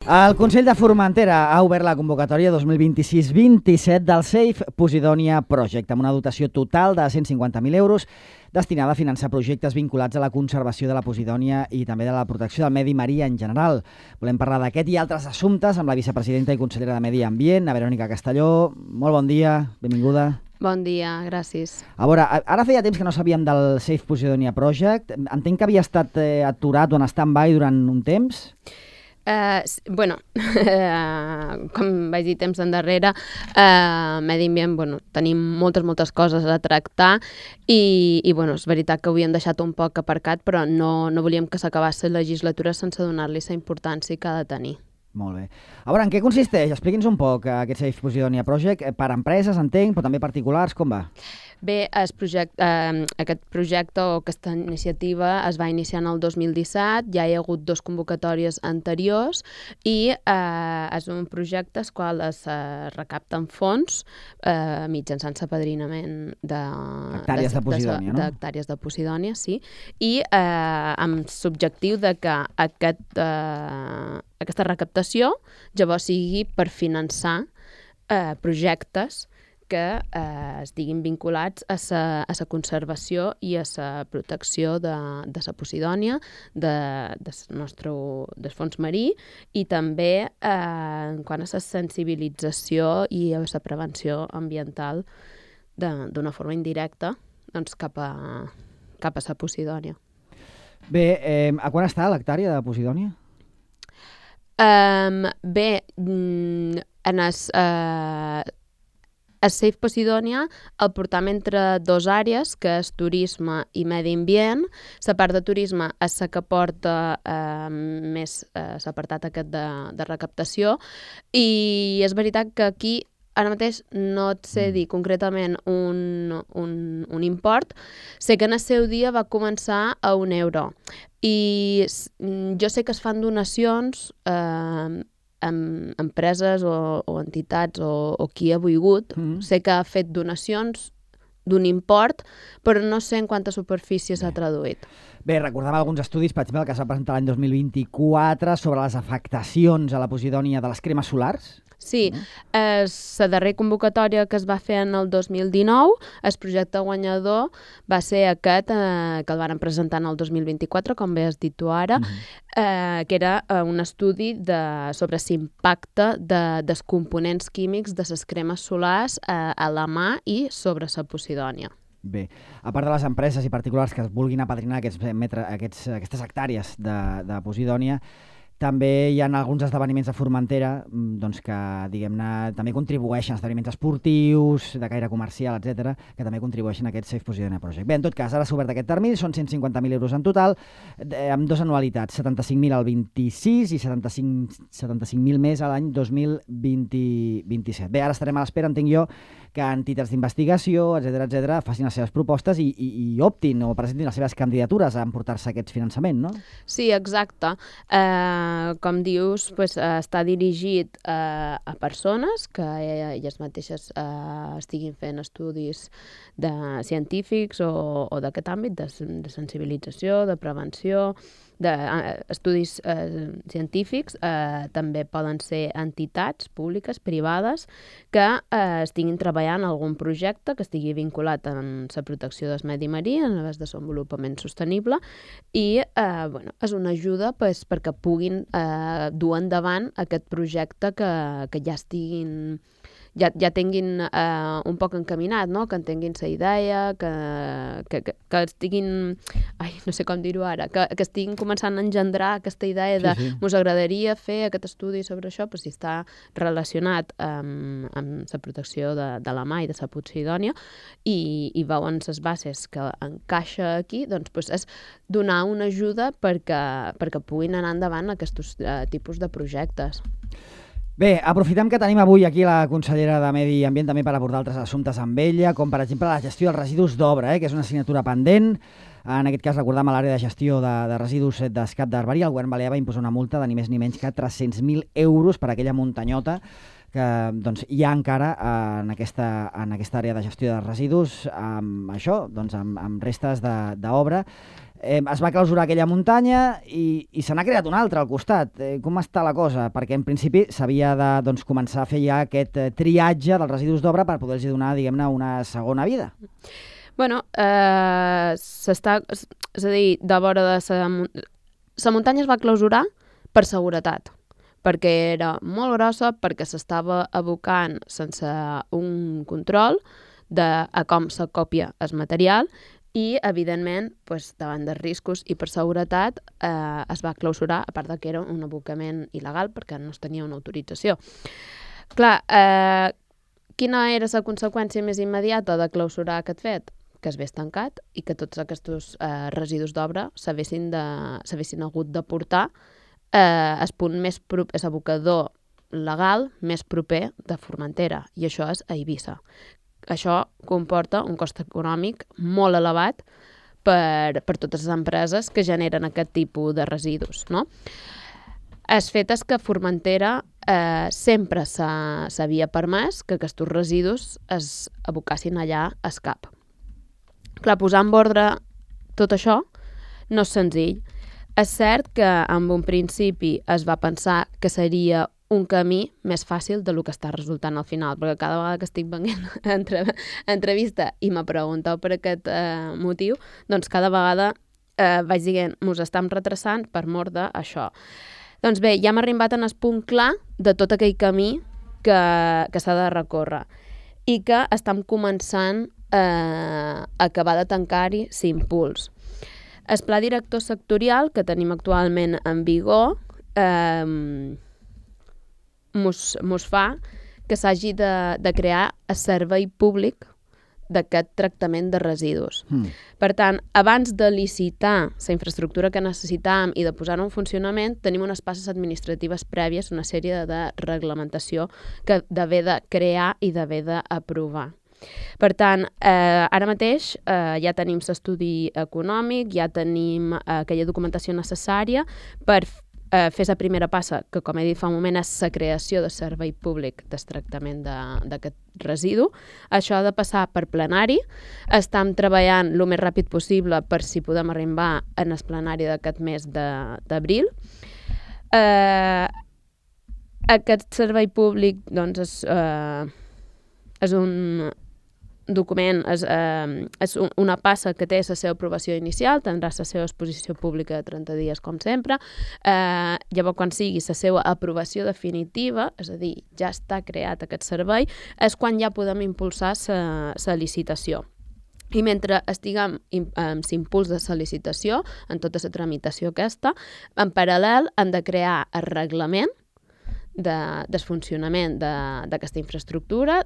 El Consell de Formentera ha obert la convocatòria 2026-27 del Safe Posidonia Project, amb una dotació total de 150.000 euros destinada a finançar projectes vinculats a la conservació de la Posidònia i també de la protecció del medi marí en general. Volem parlar d'aquest i altres assumptes amb la vicepresidenta i consellera de Medi Ambient, a Verònica Castelló. Molt bon dia, benvinguda. Bon dia, gràcies. A veure, ara feia temps que no sabíem del Safe Posidonia Project. Entenc que havia estat aturat o en stand-by durant un temps. Com vaig dir temps endarrere, Medi Ambient, tenim moltes coses a tractar i és veritat que ho havíem deixat un poc aparcat, però no volíem que s'acabés la legislatura sense donar-li la importància que ha de tenir. Molt bé. A veure, en què consisteix? Expliqui'ns un poc aquest Safe Posidonia Project. Per empreses, entenc, però també particulars, com va? Bé, aquest projecte o aquesta iniciativa es va iniciar en el 2017, ja hi ha hagut 2 convocatòries anteriors i és un projecte al qual es recapten fons mitjançant l'apadrinament d'hectàrees de Posidònia, no? D'hectàrees de Posidònia, sí, i amb l'objectiu de que aquesta recaptació llavors sigui per finançar projectes que estiguin vinculats a la conservació i a la protecció de la Posidònia, del fons marí i també quant a la sensibilització i a la prevenció ambiental d'una forma indirecta cap a la Posidònia. Bé, a quan està l'hectàrea de Posidònia? Bé, el Safe Posidònia el portam entre 2 àrees, que és turisme i medi ambient. La part de turisme és la que porta més l'apartat aquest de recaptació i és veritat que aquí ara mateix no et sé dir concretament un import. Sé que en el seu dia va començar a €1 i jo sé que es fan donacions amb empreses o entitats o qui ha volgut. Sé que ha fet donacions d'un import, però no sé en quanta superfície s'ha traduït. Bé, recordem alguns estudis, per exemple, que s'ha presentat l'any 2024 sobre les afectacions a la Posidònia de les cremes solars. Sí, la darrera convocatòria que es va fer en el 2019, el projecte guanyador va ser aquest que el van presentar en el 2024, com bé has dit tu ara, que era un estudi sobre l'impacte dels components químics de les cremes solars a la mà i sobre la Posidònia. Bé, a part de les empreses i particulars que es vulguin apadrinar aquestes hectàrees de Posidònia, també hi ha alguns esdeveniments de Formentera que, diguem-ne, també contribueixen, esdeveniments esportius, de caire comercial, etc., que també contribueixen a aquest Safe Posidonia Project. Bé, en tot cas, ara s'ha obert aquest termini, són 150.000 euros en total, amb 2 anualitats, 75.000 al 26 i 75.000 més a l'any 2027. Bé, ara estarem a l'espera, entenc jo, que entitats d'investigació, etc., facin les seves propostes i optin o presentin les seves candidatures a emportar-se aquest finançament, no? Sí, exacte. Com dius, està dirigit a persones que elles mateixes estiguin fent estudis científics o d'aquest àmbit, de sensibilització, de prevenció, d'estudis científics. També poden ser entitats públiques, privades, que estiguin treballant en algun projecte que estigui vinculat amb la protecció del medi marí, en el desenvolupament sostenible, i és una ajuda perquè puguin dur endavant aquest projecte que ja tinguin un poc encaminat, no? Que entenguin la idea, que estiguin, no sé com dir-ho ara, que estiguin començant a engendrar aquesta idea de mos agradaria fer aquest estudi sobre això, però si està relacionat amb la protecció de la mà i de la Posidònia i veuen les bases que encaixa aquí, doncs és donar una ajuda perquè puguin anar endavant aquests tipus de projectes. Bé, aprofitem que tenim avui aquí la consellera de Medi Ambient també per abordar altres assumptes amb ella, com per exemple la gestió dels residus d'obra, que és una assignatura pendent. En aquest cas, recordem, a l'àrea de gestió de residus d'Escat d'Arberia, el govern balear va imposar una multa de ni més ni menys que 300.000 euros per aquella muntanyota que hi ha encara en aquesta àrea de gestió de residus amb restes d'obra. Es va clausurar aquella muntanya i se n'ha creat una altra al costat. Com està la cosa? Perquè en principi s'havia de començar a fer ja aquest triatge dels residus d'obra per poder-los donar, diguem-ne, una segona vida. Bueno, és a dir, de vora de la muntanya es va clausurar per seguretat, perquè era molt grossa, perquè s'estava abocant sense un control de a com s'acopia el material i, evidentment, davant dels riscos i per seguretat es va clausurar, a part que era un abocament il·legal perquè no es tenia una autorització. Clar, quina era la conseqüència més immediata de clausurar aquest fet? Que es hagués tancat i que tots aquests residus d'obra s'haguessin hagut de portar al punt més proper, l'abocador legal més proper de Formentera, i això és a Eivissa. Això comporta un cost econòmic molt elevat per totes les empreses que generen aquest tipus de residus, no? El fet és que a Formentera sempre s'havia permès que aquests residus es abocassin allà a cap. Clar, posar en ordre tot això no és senzill. És cert que en un principi es va pensar que seria un camí més fàcil del que està resultant al final, perquè cada vegada que estic venint entrevista i me pregunteu per aquest motiu, doncs cada vegada vaig dient, mos estem retrasant per mort d'això. Doncs bé, ja hem arribat en el punt clar de tot aquell camí que s'ha de recórrer i que estem començant a acabar de tancar-hi l'impuls. El pla director sectorial que tenim actualment en vigor mos fa que s'hagi de crear el servei públic d'aquest tractament de residus. Per tant, abans de licitar la infraestructura que necessitàvem i de posar-ho en funcionament, tenim unes passes administratives prèvies, una sèrie de reglamentació que d'haver de crear i d'haver d'aprovar. Per tant, ara mateix ja tenim l'estudi econòmic, ja tenim aquella documentació necessària per fer la primera passa, que com he dit fa un moment és la creació de servei públic del tractament d'aquest residu. Això ha de passar per plenari. Estem treballant el més ràpid possible per si podem arribar en el plenari d'aquest mes d'abril. Aquest servei públic doncs, és un document, és una passa que té la seva aprovació inicial, tindrà la seva exposició pública de 30 dies, com sempre. Llavors, quan sigui la seva aprovació definitiva, és a dir, ja està creat aquest servei, és quan ja podem impulsar la licitació. I mentre estiguem en l'impuls de la licitació, en tota la tramitació aquesta, en paral·lel hem de crear el reglament del funcionament d'aquesta infraestructura,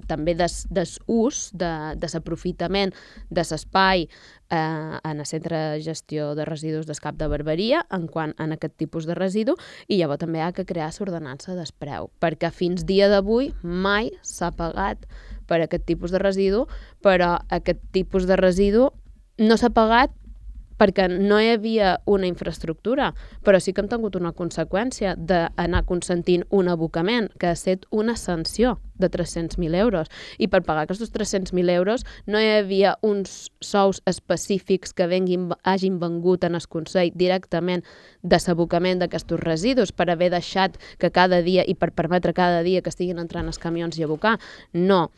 també del ús, de l'aprofitament de l'espai en el centre de gestió de residus del Cap de Barberia en aquest tipus de residu, i llavors també ha de crear l'ordenança del preu, perquè fins dia d'avui mai s'ha pagat per aquest tipus de residu, però aquest tipus de residu no s'ha pagat perquè no hi havia una infraestructura, però sí que hem tingut una conseqüència d'anar consentint un abocament, que ha estat una sanció de 300.000 euros. I per pagar aquests 300.000 euros no hi havia uns sous específics que hagin vengut en el Consell directament de l'abocament d'aquests residus per haver deixat que cada dia i per permetre cada dia que estiguin entrant els camions i abocar. No.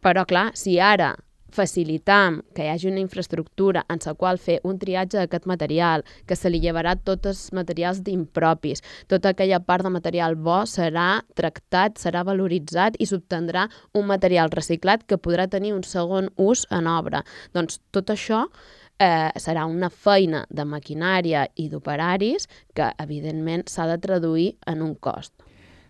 Però, clar, si ara facilitam que hi hagi una infraestructura en la qual fer un triatge d'aquest material, que se li llevarà tots els materials d'impropis, tota aquella part de material bo serà tractat, serà valoritzat i s'obtendrà un material reciclat que podrà tenir un segon ús en obra. Doncs tot això serà una feina de maquinària i d'operaris que, evidentment, s'ha de traduir en un cost.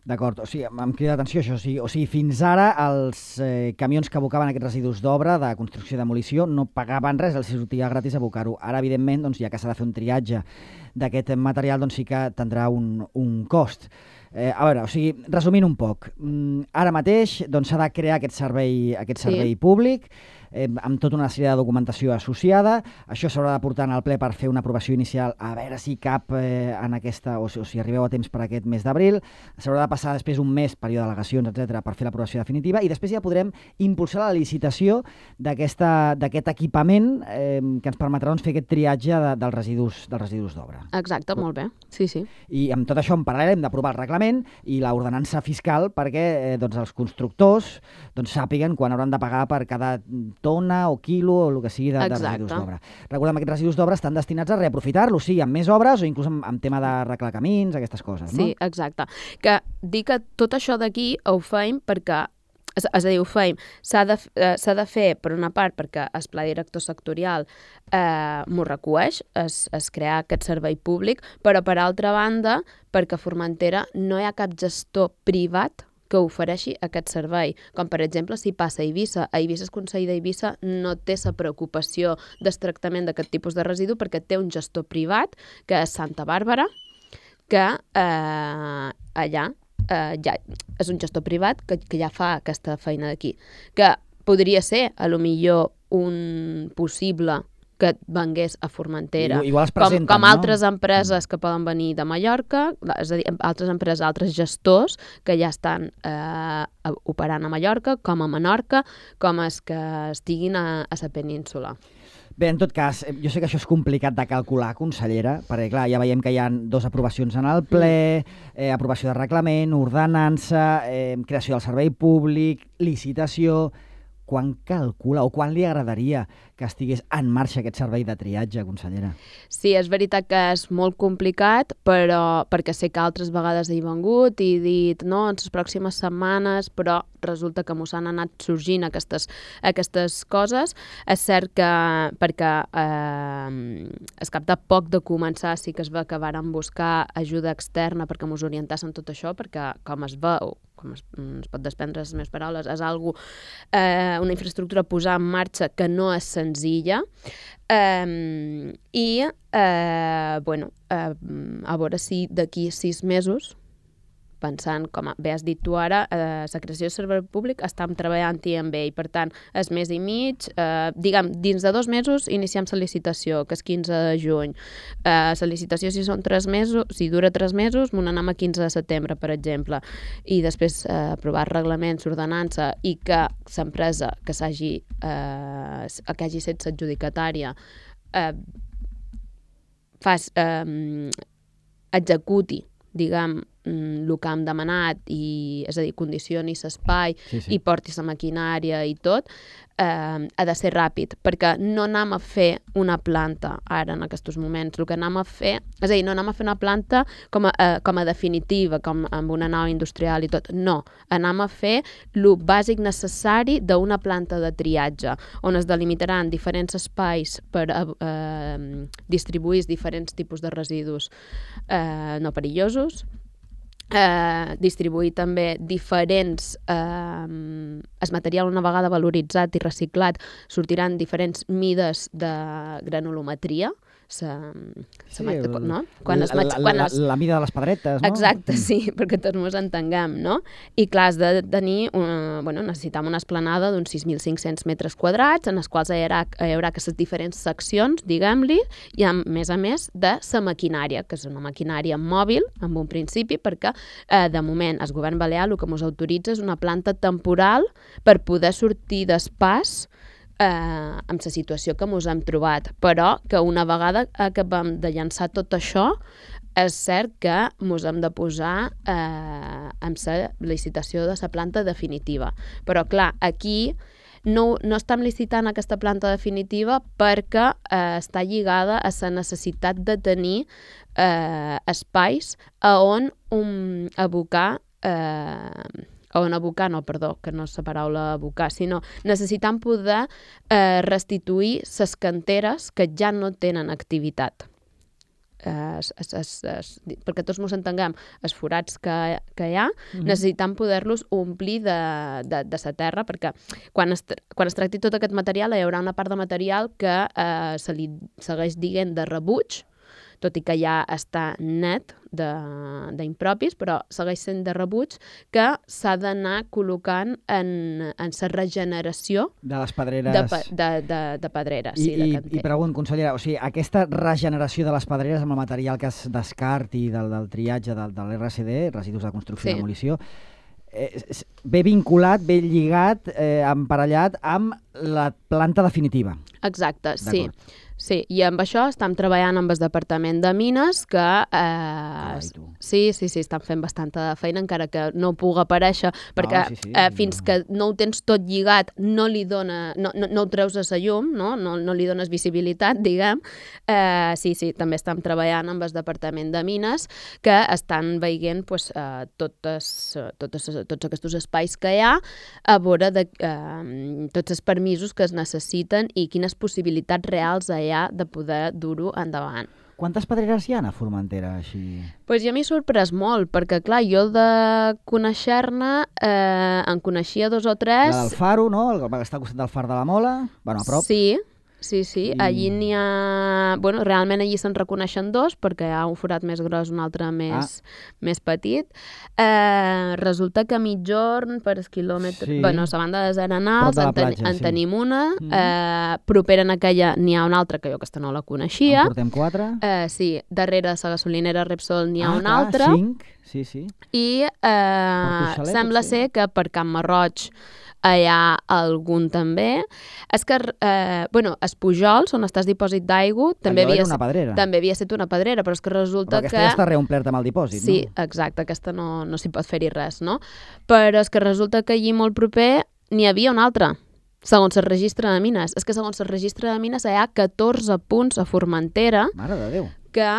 D'acord, o sigui, em crida l'atenció això. O sigui, fins ara els camions que abocaven aquests residus d'obra, de construcció i demolició, no pagaven res, els sortia gratis abocar-ho. Ara, evidentment, doncs, ja que s'ha de fer un triatge d'aquest material, doncs sí que tindrà un cost. A veure, o sigui, resumint un poc, ara mateix s'ha de crear aquest servei públic. amb tota una sèrie de documentació associada. Això s'haurà de portar al ple per fer una aprovació inicial, a veure si cap en aquesta, o si arribeu a temps per aquest mes d'abril. S'haurà de passar després un mes, període d'al·legacions, etc., per fer l'aprovació definitiva, i després ja podrem impulsar la licitació d'aquest equipament que ens permetrà fer aquest triatge dels residus d'obra. Exacte, molt bé. Sí. I amb tot això en paral·lel hem d'aprovar el reglament i l'ordenança fiscal perquè els constructors sàpiguen quan hauran de pagar per cada tona o quilo o el que sigui de residus d'obra. Recordem que aquests residus d'obra estan destinats a reaprofitar-los, sigui amb més obres o inclús amb tema d'arreglar camins, aquestes coses, no? Sí, exacte. Que dic que tot això d'aquí ho feim perquè és a dir, ho feim, s'ha de fer, per una part, perquè el pla director sectorial m'ho recueix, es crear aquest servei públic, però per altra banda, perquè a Formentera no hi ha cap gestor privat que ofereixi aquest servei. Com, per exemple, si passa a Eivissa. A Eivissa, el Consell d'Eivissa no té la preocupació del tractament d'aquest tipus de residu perquè té un gestor privat, que és Santa Bàrbara, que allà ja és un gestor privat que ja fa aquesta feina d'aquí. Que podria ser, a lo millor, un possible que vengués a Formentera. Igual es presenten, com altres empreses que poden venir de Mallorca, és a dir, altres empreses, altres gestors que ja estan operant a Mallorca, com a Menorca, com els que estiguin a la península. Bé, en tot cas, jo sé que això és complicat de calcular, consellera, perquè clar, ja veiem que hi ha 2 aprovacions en el ple, aprovació de reglament, ordenança, creació del servei públic, licitació. Quan calcula o quan li agradaria que estigués en marxa aquest servei de triatge, consellera? Sí, és veritat que és molt complicat, però perquè sé que altres vegades he vengut i he dit no, en les pròximes setmanes, però resulta que mos han anat sorgint aquestes coses. És cert que perquè es cap de poc de començar sí que es va acabar en buscar ajuda externa perquè mos orientassen tot això, perquè com es veu, com es pot desprendre les meves paraules, és una infraestructura a posar en marxa que no és senzilla i a veure si d'aquí 6 mesos, pensant, com bé has dit tu ara, la creació de servei públic estem treballant-hi amb ell. Per tant, és mes i mig, dins de 2 mesos iniciem la licitació, que és 15 de juny. La licitació, si dura 3 mesos, m'ho anem a 15 de setembre, per exemple. I després aprovar reglaments, ordenança, i que l'empresa que hagi set l'adjudicatària executi, diguem, el que hem demanat, és a dir, condicioni l'espai i porti la maquinària i tot, ha de ser ràpid, perquè no anem a fer una planta ara en aquests moments. El que anem a fer, és a dir, no anem a fer una planta com a definitiva, com amb una nau industrial i tot. No, anem a fer el bàsic necessari d'una planta de triatge, on es delimitaran diferents espais per distribuir diferents tipus de residus no perillosos, distribuir també diferents el material una vegada valoritzat i reciclat sortiran diferents mides de granulometria, no? La mida de les pedretes, no? Exacte, sí, perquè tots ens entenguem, no? I clar, has de tenir necessitam una esplanada d'uns 6.500 metres quadrats, en els quals hi haurà aquestes diferents seccions, diguem-li, i a més de la maquinària, que és una maquinària mòbil, en un principi, perquè de moment el govern balear el que ens autoritza és una planta temporal per poder sortir d'espàs amb la situació que ens hem trobat, però que una vegada acabem de llançar tot això, és cert que ens hem de posar amb la licitació de la planta definitiva. Però clar, aquí no estem licitant aquesta planta definitiva perquè està lligada a la necessitat de tenir espais on abocar que no és la paraula abocar, sinó necessitant poder restituir les canteres que ja no tenen activitat. Perquè tots ens entenguem, els forats que hi ha, necessitant poder-los omplir de la terra, perquè quan es tracti tot aquest material hi haurà una part de material que se li segueix dient de rebuig, tot i que ja està net d'impropis, però segueix sent de rebuig, que s'ha d'anar col·locant en la regeneració de les pedreres. De pedreres, sí, de canter. I pregunto, consellera, o sigui, aquesta regeneració de les pedreres amb el material que es descarti del triatge de l'RCD, residus de construcció i demolició, ve vinculat, ve lligat, emparellat amb la planta definitiva. Exacte, sí. Sí, i amb això estem treballant amb el Departament de Mines, que sí, estan fent bastanta feina, encara que no pugui aparèixer, perquè fins que no ho tens tot lligat, no ho treus a la llum, no li dones visibilitat, diguem. Sí, també estem treballant amb el Departament de Mines, que estan veient tots aquests espais que hi ha, a veure tots els permisos que es necessiten i quines possibilitats reals hi ha de poder dur-ho endavant. Quantes pedreres hi ha a Formentera, així? Pues jo m'he sorprès molt, perquè, clar, jo de conèixer-ne en coneixia 2 o 3... La del Faro, no? El que està al costat del Far de la Mola, bueno, a prop. Sí. Allí n'hi ha... Bueno, realment allí se'n reconeixen 2, perquè hi ha un forat més gros, un altre més petit. Resulta que a mitjorn, per quilòmetre... Bueno, a la banda de Arenals en tenim una. Propera en aquella n'hi ha una altra, que jo aquesta no la coneixia. En portem 4. Sí, darrere la gasolinera Repsol n'hi ha una altra. 5, sí. I sembla ser que per Can Marroig hi ha algun també. És que, els Pujols, on està el dipòsit d'aigua, també havia estat una pedrera, però és que resulta que... Però aquesta ja està reomplerta amb el dipòsit, no? Sí, exacte, aquesta no s'hi pot fer-hi res, no? Però és que resulta que allí molt proper n'hi havia una altra, segons el registre de mines. És que segons el registre de mines hi ha 14 punts a Formentera. Mare de Déu. Que...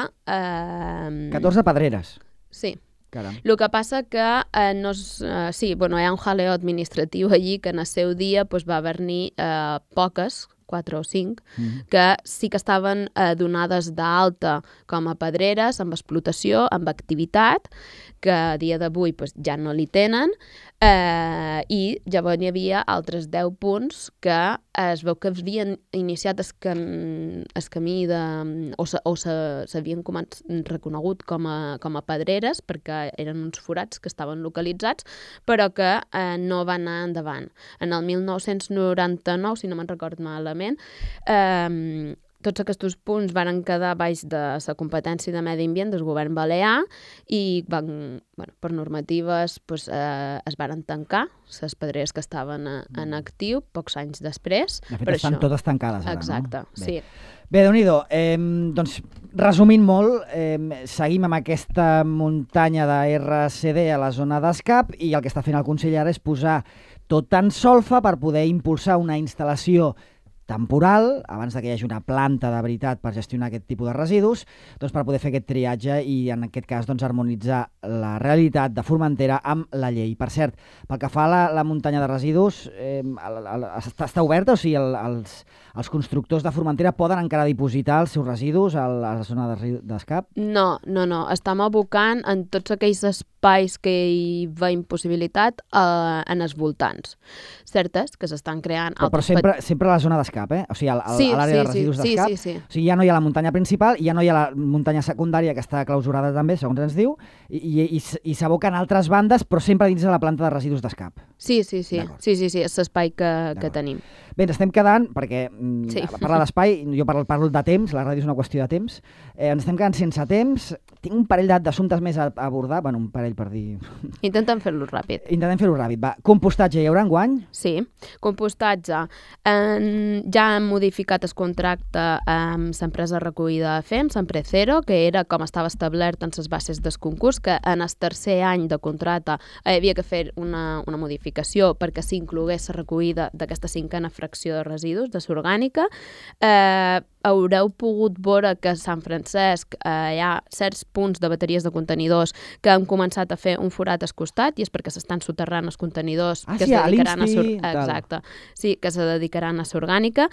14 pedreres. Sí. Caram. El que passa que hi ha un jaleo administratiu allí que en el seu dia va haver-n'hi poques, 4 o 5, que sí que estaven donades d'alta com a pedreres, amb explotació, amb activitat, que a dia d'avui ja no li tenen, i llavors hi havia altres 10 punts que es veu que havien iniciat el camí o s'havien reconegut com a pedreres, perquè eren uns forats que estaven localitzats, però que no van anar endavant. En el 1999, si no me'n recordo malament, tots aquests punts van quedar baix de la competència de medi ambient del govern balear i per normatives es van tancar les pedreres que estaven en actiu pocs anys després. De fet, estan totes tancades ara, exacte, no? Sí. Bé, Déu-n'hi-do. Doncs, resumint molt, seguim amb aquesta muntanya de RCD a la zona d'escap i el que està fent el conseller ara és posar tot en solfa per poder impulsar una instal·lació temporal, abans que hi hagi una planta de veritat per gestionar aquest tipus de residus, doncs per poder fer aquest triatge i en aquest cas harmonitzar la realitat de Formentera amb la llei. Per cert, pel que fa a la muntanya de residus, està oberta? O sigui, els constructors de Formentera poden encara dipositar els seus residus a la zona d'escap? No. Estem abocant en tots aquells espais que hi veiem possibilitat en els voltants. Cert és que s'estan creant... Però sempre a la zona d'escap, o sigui, a l'àrea de residus d'escap. Sí. O sigui, ja no hi ha la muntanya principal, ja no hi ha la muntanya secundària, que està clausurada també, segons ens diu, i s'aboquen altres bandes, però sempre dins de la planta de residus d'escap. Sí, és l'espai que tenim. Bé, ens estem quedant, perquè parlar d'espai, jo parlo de temps, la ràdio és una qüestió de temps, ens estem quedant sense temps, tinc un parell d'assumptes més a abordar, bueno, un parell per dir... Intentem fer-lo ràpid. Va. Compostatge hi haurà enguany? Sí, compostatge. Ja hem modificat el contracte amb l'empresa recollida de FEM, Semprezero, que era com estava establert en les bases del concurs, que en el tercer any de contracte havia que fer una modificació perquè s'inclogués la recollida d'aquesta 5a fracció de residus, de l'orgànica. Haureu pogut veure que a Sant Francesc hi ha certs punts de bateries de contenidors que han començat a fer un forat al costat i és perquè s'estan soterrant els contenidors que es dedicaran exacte. Sí, que se dedicaran a l'orgànica.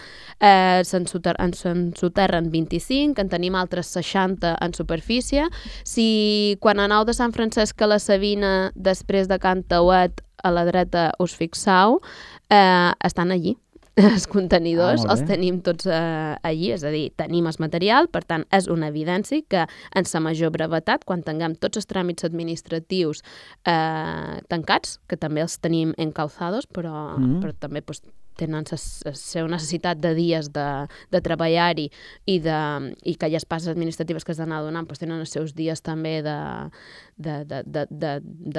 Se'n soterren 25, en tenim altres 60 en superfície. Si quan aneu de Sant Francesc a la Sabina, després de Can Tauet, a la dreta us fixeu, estan allí. els contenidors els molt bé. tenim tots allí, és a dir, tenim el material, per tant, és una evidència que en sa major brevetat, quan tinguem tots els tràmits administratius tancats, que també els tenim encauzados, però també doncs, tenen la seva necessitat de dies de treballar-hi i que aquelles passes administratives que has d'anar donant doncs, tenen els seus dies també de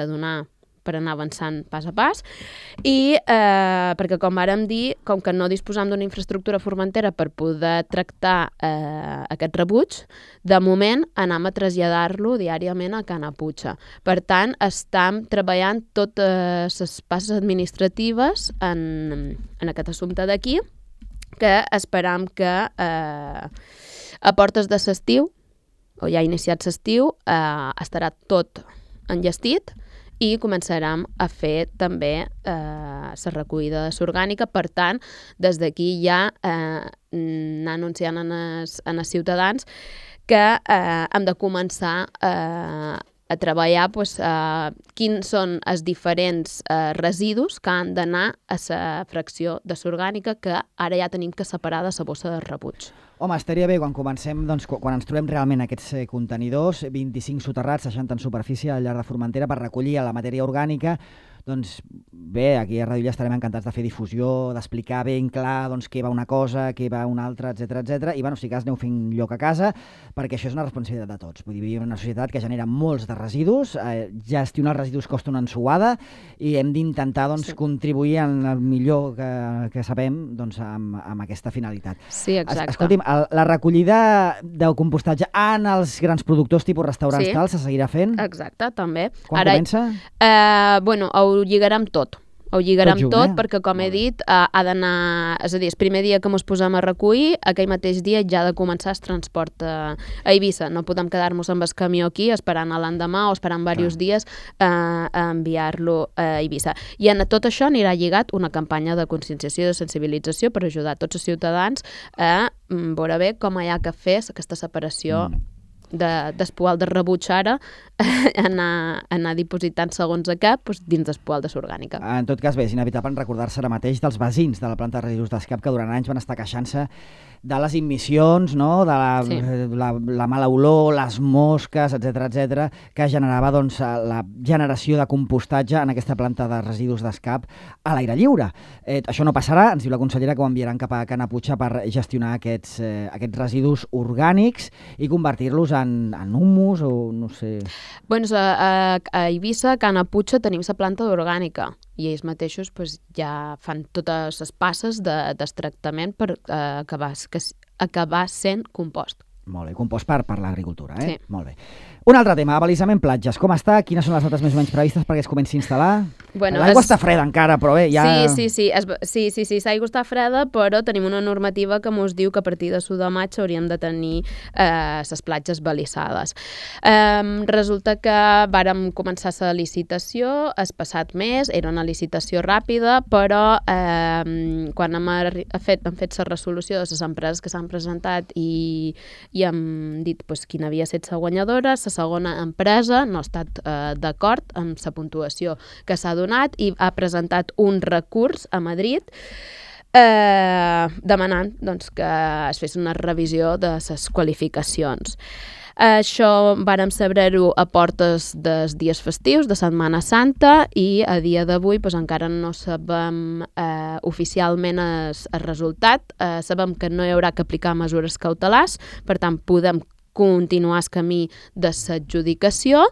donar per anar avançant pas a pas, i perquè, com vàrem dir, com que no disposam d'una infraestructura formentera per poder tractar aquest rebuig, de moment anem a traslladar-lo diàriament a Canaputxa. Per tant, estem treballant totes les passes administratives en aquest assumpte d'aquí, que esperam que a portes de l'estiu, o ja ha iniciat l'estiu, estarà tot enllestit, i començarem a fer també la recollida de l'orgànica. Per tant, des d'aquí ja anar anunciant a els ciutadans que hem de començar a treballar quins són els diferents residus que han d'anar a la fracció de l'orgànica, que ara ja tenim que separar de la bossa de rebuig. Home, estaria bé quan comencem, doncs, quan ens trobem realment aquests contenidors, 25 soterrats, 60 en superfície al llarg de Formentera per recollir la matèria orgànica. Doncs bé, aquí a Ràdio Illa estarem encantats de fer difusió, d'explicar ben clar doncs, què va una cosa, què va una altra, etc. I bueno, si cas aneu fent lloc a casa, perquè això és una responsabilitat de tots. Vull dir, vivim en una societat que genera molts de residus, gestionar els residus costa una ensuada i hem d'intentar doncs, contribuir en el millor que sabem doncs, amb aquesta finalitat. Sí, exacte. Escolti'm, la recollida de compostatge en els grans productors tipus restaurants tal se seguirà fent? Exacte, també. Quan comença? Bueno, ho lligarem tot. Ho lligarem tot perquè, com he dit, ha d'anar... És a dir, el primer dia que ens posem a recollir, aquell mateix dia ja ha de començar el transport a Eivissa. No podem quedar-nos amb el camió aquí esperant l'endemà o esperant diversos dies a enviar-lo a Eivissa. I en tot això anirà lligat una campanya de conscienciació i de sensibilització per ajudar tots els ciutadans a veure bé com hi ha que fer aquesta separació del poal de rebuig ara, anar dipositant segons a cap dins del poal de l'orgànica. En tot cas, bé, és inevitable recordar-se ara mateix dels veïns de la planta de residus d'Escap que durant anys van estar queixant-se de les immissions, no? De la mala olor, les mosques, etc que generava doncs, la generació de compostatge en aquesta planta de residus d'Escap a l'aire lliure. Això no passarà, ens diu la consellera que ho enviaran cap a Canaputxa per gestionar aquests residus orgànics i convertir-los en humus o no sé... Doncs a Eivissa, a Canaputxa, tenim la planta d'orgànica i ells mateixos ja fan totes les passes d'extractament per acabar sent compost. Molt bé, compost per l'agricultura, Sí. Molt bé. Un altre tema, abalisament platges. Com està? Quines són les dates més o menys previstes perquè es comenci a instal·lar? Bueno, l'aigua està freda encara, però bé, ja... Sí, l'aigua està freda, però tenim una normativa que ens diu que a partir de l'1 de maig hauríem de tenir les platges balissades. Resulta que vàrem començar la licitació el passat mes, era una licitació ràpida, però quan hem fet la resolució de les empreses que s'han presentat i hem dit quina havia estat la guanyadora, la segona empresa no ha estat d'acord amb la puntuació que s'ha donat i ha presentat un recurs a Madrid demanant que es fes una revisió de les qualificacions. Això vàrem saber-ho a portes dels dies festius, de Setmana Santa, i a dia d'avui encara no sabem oficialment el resultat. Sabem que no hi haurà que aplicar mesures cautelars, per tant podem continuar el camí de l'adjudicació,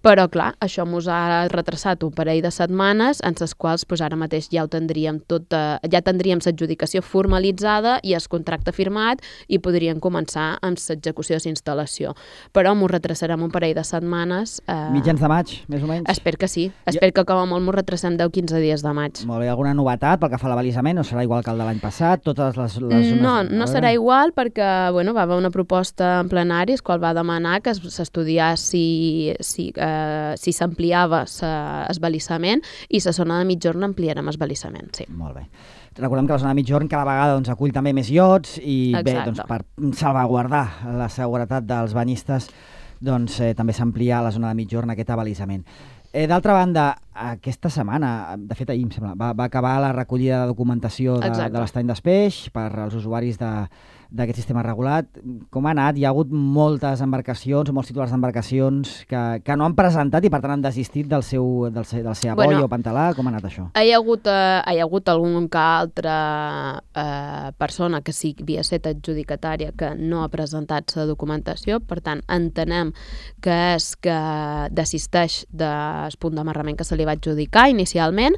però clar, això ens ha retrasat un parell de setmanes en les quals ara mateix ja ho tindríem ja tindríem l'adjudicació formalitzada i el contracte firmat i podríem començar amb l'execució de l'instal·lació. Però m'ho retrasarem un parell de setmanes. Mitjans de maig, més o menys? Espero que sí. Espero que com a molt m'ho retrasem 10-15 dies de maig. Molt bé, alguna novetat pel que fa a l'abalisament? No serà igual que el de l'any passat? Totes les zones... No serà igual perquè va haver una proposta en plenari el qual va demanar que s'estudiés si s'ampliava l'esbalissament i la zona de migjorn ampliarem l'esbalissament, sí. Molt bé. Recordem que la zona de migjorn cada vegada acull també més iots i bé, per salvaguardar la seguretat dels banyistes també s'amplia a la zona de migjorn aquest abalisament. D'altra banda, aquesta setmana, de fet ahir, em sembla, va acabar la recollida de documentació de l'estany d'Espeix per als usuaris d'aquest sistema regulat. Com ha anat? Hi ha hagut moltes embarcacions, molts titulars d'embarcacions que no han presentat i per tant han desistit del seu Aboll o Pantalà. Com ha anat això? Hi ha hagut algun que altra persona que sí havia estat adjudicatària que no ha presentat la documentació, per tant entenem que és que desisteix del punt d'amarrament que se li va adjudicar inicialment.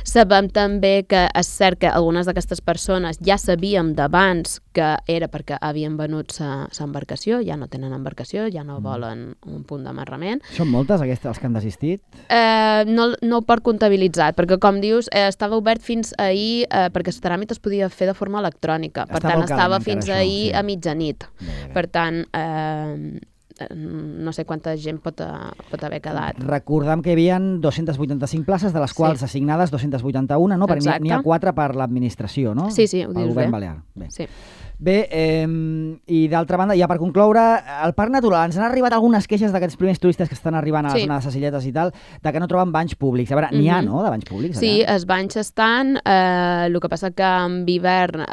Sabem també que és cert que algunes d'aquestes persones ja sabíem d'abans que era perquè havien venut l'embarcació, ja no tenen embarcació, ja no volen un punt d'amarrament. Són moltes aquestes els que han desistit? No per comptabilitzat, perquè com dius, estava obert fins ahir perquè el tràmit es podia fer de forma electrònica. Per tant, estava fins ahir a mitjanit. Per tant, no sé quanta gent pot haver quedat. Recordem que hi havia 285 places, de les quals assignades 281, no? Perquè n'hi ha 4 per l'administració, no? Sí, ho dius bé. Balear. Sí. Bé, i d'altra banda, ja per concloure, el Parc Natural, ens han arribat algunes queixes d'aquests primers turistes que estan arribant a la zona de les Illetes i tal, de que no troben banys públics. A veure, n'hi ha, no?, de banys públics? Sí, els banys estan, el que passa que en hivern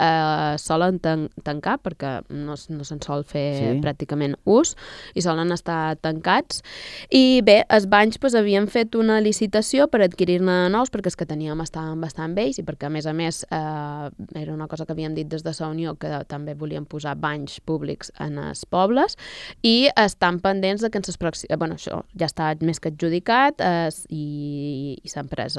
solen tancar, perquè no se'n sol fer pràcticament ús, i solen estar tancats. I bé, els banys havien fet una licitació per adquirir-ne nous, perquè els que teníem estaven bastant vells, i perquè, a més, era una cosa que havíem dit des de la Unió, que també volien posar banys públics en els pobles, i estan pendents de que en les pròximes... Bueno, això ja està més que adjudicat i s'han pres,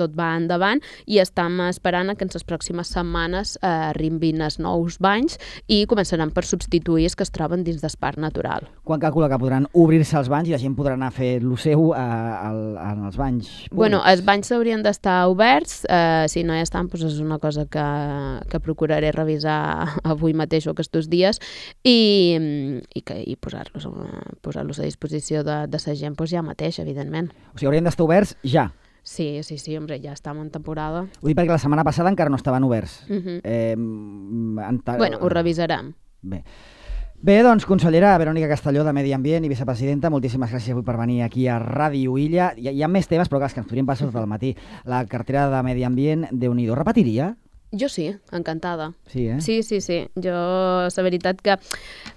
tot va endavant, i estem esperant que en les pròximes setmanes arribin els nous banys i començaran per substituir els que es troben dins del parc natural. Quan calcula que podran obrir-se els banys i la gent podrà anar a fer el seu en els banys públics? Bueno, els banys s'haurien d'estar oberts, si no hi estan, és una cosa que procuraré revisar avui mateix o aquests dies i posar-los a disposició de la gent ja mateix, evidentment. O sigui, haurien d'estar oberts ja? Sí, hombre, ja estem en temporada. Ho dic perquè la setmana passada encara no estaven oberts. Bueno, ho revisarem. Bé, doncs, consellera Verònica Castelló, de Medi Ambient i vicepresidenta, moltíssimes gràcies avui per venir aquí a Ràdio Illa. Hi ha més temes, però clar, que ens podríem passar tot el matí. La cartera de Medi Ambient, Déu-n'hi-do, repetiria? Jo sí, encantada. Sí, eh? Sí. Jo, la veritat que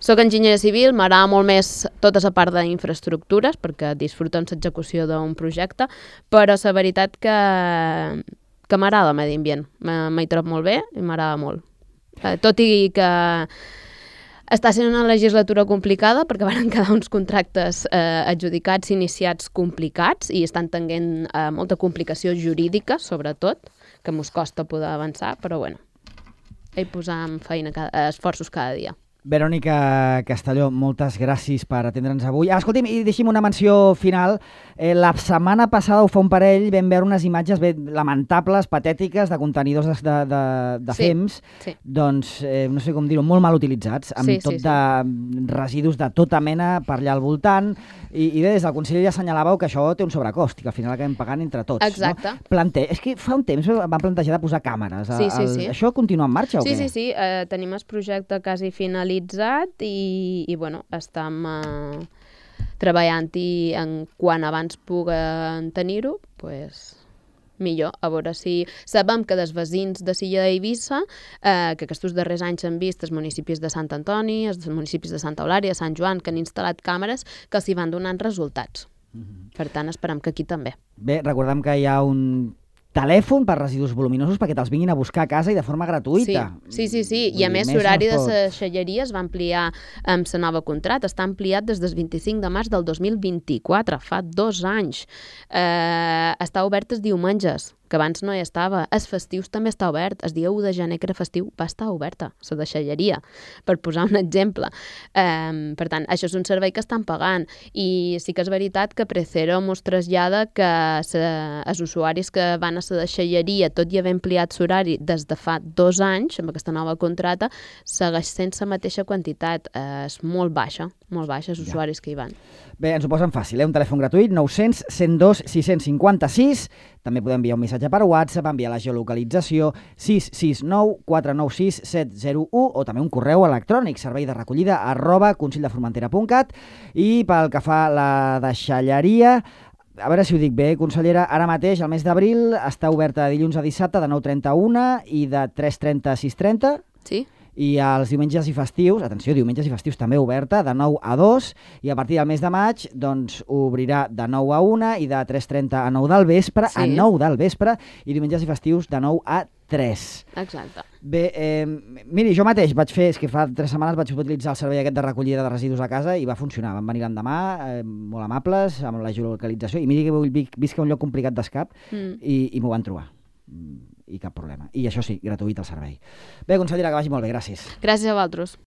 soc enginyera civil, m'agrada molt més tota la part d'infraestructures, perquè disfruto en l'execució d'un projecte, però la veritat que m'agrada el medi ambient. M'hi trobo molt bé i m'agrada molt. Tot i que està sent una legislatura complicada, perquè van quedar uns contractes adjudicats, iniciats complicats, i estan tenint molta complicació jurídica, sobretot, que mos costa poder avançar, però bueno, hi posam esforços cada dia. Verònica Castelló, moltes gràcies per atendre'ns avui. Escolti'm, i deixi'm una menció final. La setmana passada, o fa un parell, vam veure unes imatges lamentables, patètiques, de contenidors de fems, doncs, no sé com dir-ho, molt mal utilitzats, amb de residus de tota mena per allà al voltant, i bé, des del Consell ja assenyalàveu que això té un sobrecost i que al final acabem pagant entre tots. Exacte. No? És que fa un temps van plantejar de posar càmeres. Sí. Això continua en marxa o què? Sí. Tenim el projecte quasi finalitzat i bueno, estem treballant-hi quan abans puguen tenir-ho, doncs millor. A veure si sabem que dels veïns de Silla d'Eivissa, que aquests darrers anys han vist els municipis de Sant Antoni, els municipis de Santa Eulària, Sant Joan, que han instal·lat càmeres que els hi van donant resultats. Per tant, esperem que aquí també. Bé, recordem que hi ha un telèfon per residus voluminosos perquè te'ls vinguin a buscar a casa i de forma gratuïta. Sí. I a més, l'horari de la xelleria es va ampliar amb la nova contracte. Està ampliat des del 25 de març del 2024, fa 2 anys. Està obert els diumenges, que abans no hi estava. Els festius també està obert. El dia 1 de gener, que era festiu, va estar oberta, la deixalleria, per posar un exemple. Per tant, això és un servei que estan pagant. I sí que és veritat que Precero mos trasllada que els usuaris que van a la deixalleria, tot i haver ampliat l'horari des de fa 2 anys, amb aquesta nova contracta, segueix sent la mateixa quantitat. És molt baixa els usuaris que hi van. Bé, ens ho posen fàcil, un telèfon gratuït, 900 102 656, també podem enviar un missatge per WhatsApp, enviar la geolocalització 669 496 701 o també un correu electrònic, servei de recollida @conselldefromentera.cat, i pel que fa a la deixalleria, a veure si ho dic bé, consellera, ara mateix, el mes d'abril, està oberta de dilluns a dissabte de 9:30 a 1 i de 3:30 a 6:30. Sí. I els diumenges i festius, atenció, diumenges i festius també oberta, de 9 a 2, i a partir del mes de maig, doncs, obrirà de 9 a 1 i de 3:30 a 9 del vespre, Sí. a 9 del vespre, i diumenges i festius de 9 a 3. Exacte. Bé, miri, jo mateix vaig fer, és que fa 3 setmanes vaig utilitzar el servei aquest de recollida de residus a casa i va funcionar. Van venir l'endemà, molt amables, amb la geolocalització, i miri que visc a un lloc complicat d'escap i m'ho van trobar. I cap problema. I això sí, gratuït el servei. Bé, consellera, que vagi molt bé, gràcies. Gràcies a vosaltres.